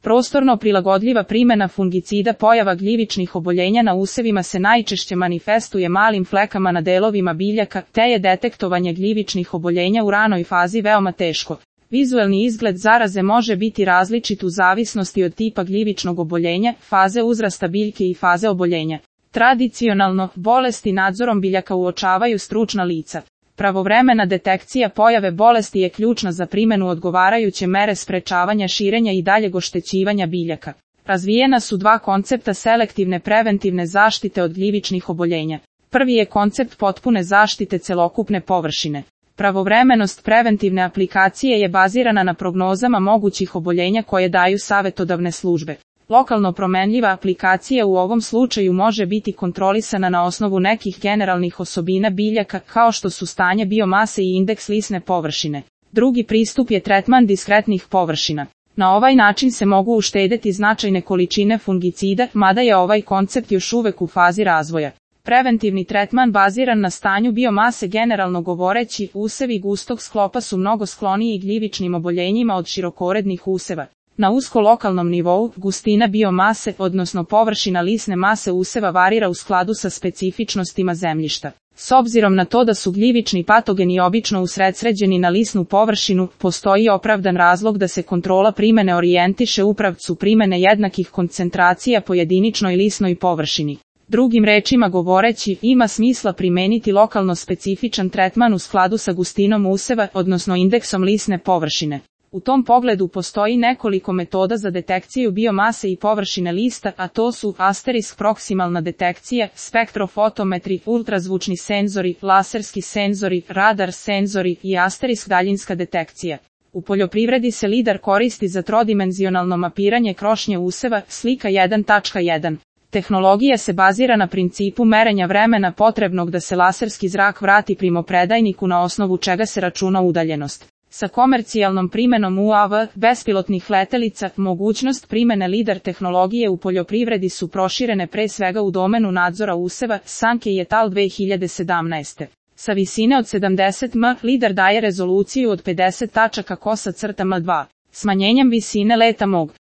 Prostorno prilagodljiva primjena fungicida. Pojava gljivičnih oboljenja na usevima se najčešće manifestuje malim flekama na delovima biljaka, te je detektovanje gljivičnih oboljenja u ranoj fazi veoma teško. Vizuelni izgled zaraze može biti različit u zavisnosti od tipa gljivičnog oboljenja, faze uzrasta biljke i faze oboljenja. Tradicionalno, bolesti nadzorom biljaka uočavaju stručna lica. Pravovremena detekcija pojave bolesti je ključna za primjenu odgovarajuće mere sprečavanja širenja i daljeg oštećivanja biljaka. Razvijena su dva koncepta selektivne preventivne zaštite od gljivičnih oboljenja. Prvi je koncept potpune zaštite celokupne površine. Pravovremenost preventivne aplikacije je bazirana na prognozama mogućih oboljenja koje daju savjetodavne službe. Lokalno promenljiva aplikacija u ovom slučaju može biti kontrolisana na osnovu nekih generalnih osobina biljaka, kao što su stanje biomase i indeks lisne površine. Drugi pristup je tretman diskretnih površina. Na ovaj način se mogu uštedeti značajne količine fungicida, mada je ovaj koncept još uvek u fazi razvoja. Preventivni tretman baziran na stanju biomase. Generalno govoreći, usevi gustog sklopa su mnogo skloniji gljivičnim oboljenjima od širokorednih useva. Na usko lokalnom nivou, gustina biomase, odnosno površina lisne mase useva varira u skladu sa specifičnostima zemljišta. S obzirom na to da su gljivični patogeni obično usredsređeni na lisnu površinu, postoji opravdan razlog da se kontrola primene orijentiše u pravcu primene jednakih koncentracija po jediničnoj lisnoj površini. Drugim rečima govoreći, ima smisla primeniti lokalno specifičan tretman u skladu sa gustinom useva, odnosno indeksom lisne površine. U tom pogledu postoji nekoliko metoda za detekciju biomase i površine lista, a to su asterisk proksimalna detekcija, spektrofotometri, ultrazvučni senzori, laserski senzori, radar senzori i asterisk daljinska detekcija. U poljoprivredi se lidar koristi za trodimenzionalno mapiranje krošnje useva, slika 1.1. Tehnologija se bazira na principu merenja vremena potrebnog da se laserski zrak vrati primopredajniku, na osnovu čega se računa udaljenost. Sa komercijalnom primjenom UAV, bespilotnih letelica, mogućnost primjene lidar tehnologije u poljoprivredi su proširene pre svega u domenu nadzora useva, Sankey et al. 2017. Sa visine od 70 m, lidar daje rezoluciju od 50 tačaka kosa crta m2. Smanjenjem visine leta